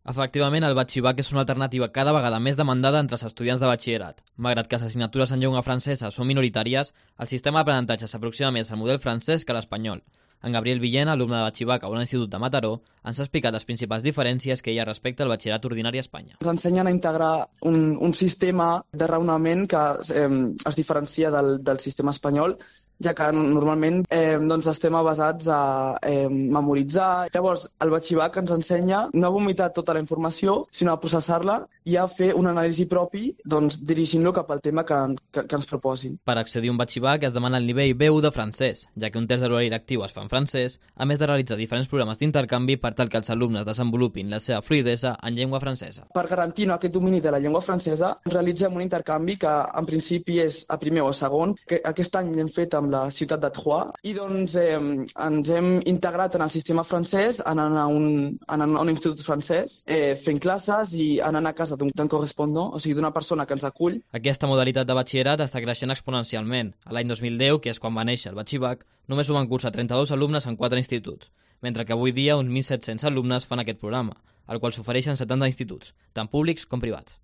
Efectivament, el batxibac és una alternativa cada vegada més demandada entre els estudiants de batxillerat. Malgrat que les assignatures en llengua francesa són minoritàries, el sistema d'aprenentatge s'aproxima més al model francès que a l'espanyol. En Gabriel Villena, alumne de batxibac a un institut de Mataró, ens ha explicat les principals diferències que hi ha respecte al batxillerat ordinari a Espanya. Ens ensenyen a integrar un sistema de raonament que es diferencia del sistema espanyol, ja que normalment estem basats a memoritzar. Llavors, el batxibac ens ensenya no a vomitar tota la informació, sinó a processar-la i a fer un anàlisi propi, dirigint-lo cap al tema que ens proposin. Per accedir a un batxibac es demana el nivell B1 de francès, ja que un test de l'horari lectiu es fa en francès, a més de realitzar diferents programes d'intercanvi per tal que els alumnes desenvolupin la seva fluïdesa en llengua francesa. Per garantir aquest domini de la llengua francesa, realitzem un intercanvi que en principi és a primer o a segon, que aquest any l'hem fet amb la ciutat de Troyes, i ens hem integrat en el sistema francès, anant a un institut francès, fent classes i anant a casa d'un correspondent, o sigui, d'una persona que ens acull. Aquesta modalitat de batxillerat està creixent exponencialment. A l'any 2010, que és quan va néixer el batxibac, només ho van cursar 32 alumnes en 4 instituts, mentre que avui dia uns 1.700 alumnes fan aquest programa, al qual s'ofereixen 70 instituts, tant públics com privats.